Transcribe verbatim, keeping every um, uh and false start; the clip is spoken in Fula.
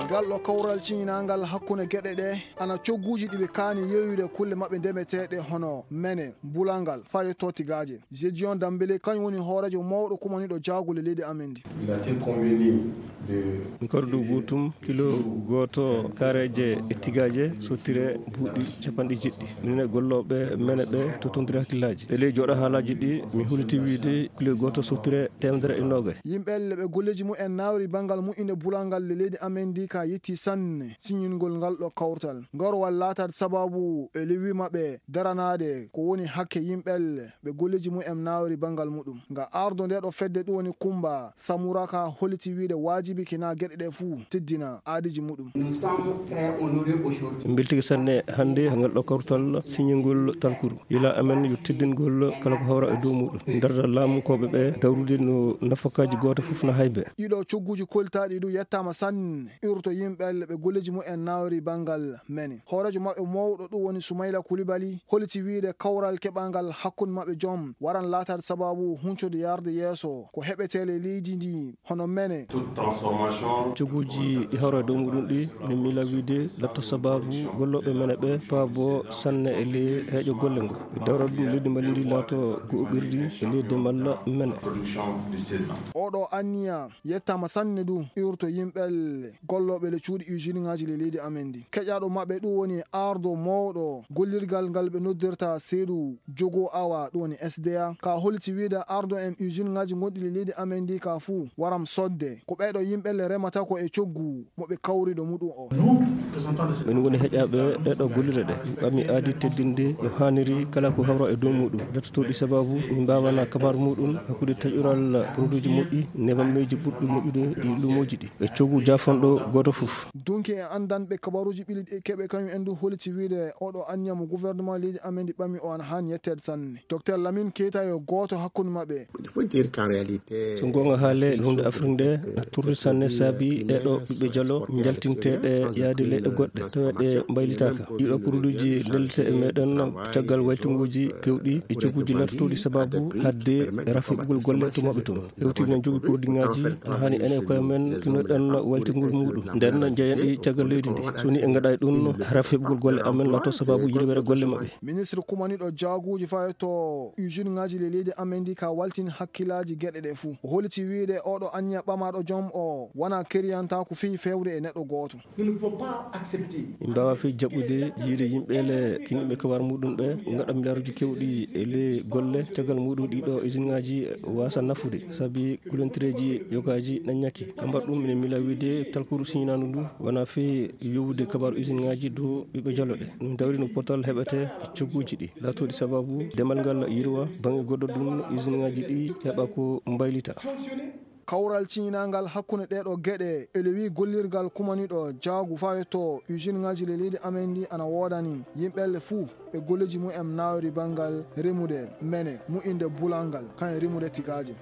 Ngal ɗo kawral ciñinangal hakkunde geɗe ɗe ana cogguuji ɗi ɓe kaani yeeyude kulle maɓɓe ndemeteeɗe hono mene, bulangal, faa yetto tigaaje. Gédéon Dembélé kañum woni hooreejo mawɗo kumaniiɗo jaagule leydi amen ndi. Il a été convenu de Kordu buutum kilo gooto kareeje e tigaaje sottire buuɗi capanɗe jeɗɗi. Minen e gollooɓe mene ɓe totondiri hakkillaaji. E ley jooɗo haalaaji ɗi, mi huliti wiide kilo gooto sottire teemedere e noogay. Yimɓe elle ɓe golleeji mumen naawri banngal mu'inde bulangal le leydi amen ndi ka yetti sanne siñingol ngal ɗo kawtal. Ngarwal laataade sababu e lewi maɓɓe daranaade ko woni hakke yimɓe elle ɓe golleeji mumen naawri banngal muɗum. Nga ardo nde ɗo fedde ɗum woni Kumba Samura ka holiti wiide waajibi kina geɗe ɗe fuu teddina aadiji muɗum. Mbeltike sanne hannde ngal ɗo kawtal siñingol talkuru. Yila amen yo teddingol kala ko hawra e dow muɗum. Darda laamu koɓe ɓe dawrude no nafakaaji gooto fof na haybe. Ɗiɗo cogguuji koltaaɗi du yettaama sanne urto yimɓe elle ɓe golleeji mumen naawri banngal mene. Hooreejo maɓɓe mawɗo ɗum woni Sumayla Kulibali holiti wiide kawral keɓangal hakkunde maɓɓe joom waran laataade sababu huncode yarde yeeso ko heɓetee ley leydi ndi hono mene. Cogguuji ɗi hawra e dow muɗum ɗi ene miila wiide latto sababu gollooɓe mene ɓe paabo sanne e ley heeƴo golle ngo. Ɓe dawra ɗum leydi Mali ndi laato go'oɓirdi e ley demal mene. Oɗo anniya yettaama sanne du iwrto yimɓe elle gollooɓe le cuuɗi usine ŋaaji le leydi amen ndi. Keƴaaɗo maɓɓe ɗum woni ardo mawɗo gollirgal ngal ɓe noddirta seedu jogo awa ɗum woni S D A. Ka holiti wiide ardo en usine ŋaaji gonɗi le leydi amen ndi ka fuu waram sodde. Ko ɓeeɗo yimɓe elle remata ko e coggu mo ɓe kawri ɗo muɗum o. Min woni heƴaaɓe ɗeɗo gollire ɗe. Ɓami aadi teddinde no haaniri kala ko hawra e dow muɗum. Dattotoɗi sababu min mbawana kabar muɗum hakkude taƴural produit ji moƴƴi nebammeji ɓurɗi moƴƴude ɗi lumoji ɗi. E coggu jaafanɗo gooto fof. Dunki e anndanɓe kabaruuji ɓili ɗi keɓe kañum en du holiti wiide oɗo anniya mo gouvernement leydi amen ndi ɓami o ana haani yetteede sanne. Docteur Lamine Keita yo gooto hakkunde maɓɓe. So goonga haale, hunde Afrik nde na turri sanne saabi ɗeɗo ɓiɓɓe jalo njaltinteeɗe yaade leyɗe goɗɗe tawa ɗe mbaylitaaka. Ɗiɗo produit ji ndellete e meɗen caggal waytunguuji kewɗi e cogguuji latotooɗi sababu hadde rafiɓugol golle to maɓɓe toon. Hewtii no jogii produit ŋaaji no haani ene koye men kinoɗen waltingol muɗum. Nden jeyen ɗi caggal leydi ndi. So ni en ngaɗaay ɗum, hara feɓugol golle amen lato sababu yirwere golle maɓɓe. Ministre kumaniɗo jaaguuji fawi to usine ŋaaji le leydi amen ndi ka waltin hakkilaaji geɗe ɗe fuu. O holiti wiide oɗo anniya ɓamaɗo joom o wona keriyanta ko fii fewde e neɗɗo gooto. Nous ne pouvons pas accepter. Min mbaawaa fii jaɓɓude yiide yimɓe le kiniɓe kabar muɗum ɓe ngaɗa miliyaaruuji kewɗi e ley golle caggal muɗum ɗiɗo usine ŋaaji waasa nafude sabi kulentereeji yogaaji na ñakki. Ka mbaɗ ɗum minen miila wiide talkuru siñinaandu ndu wona fii yowude kabar usine ŋaaji dow ɓiɓɓe jalo ɗe. Min dawri no potal heɓete cogguuji ɗi laatooɗi sababu demal ngal yirwa baŋnge goɗɗo ɗum usine ŋaaji ɗi heɓa ko mbaylita. Kawral ciñinangal hakkunde ɗeeɗo geɗe e lewi gollirgal kumaniɗo jaagu fawe to usine ŋaaji le leydi amen ndi ana woodani yimɓelle fuu e golleji mumen nawri banngal remude mene mu'inde bulangal kan e remude tigaaje.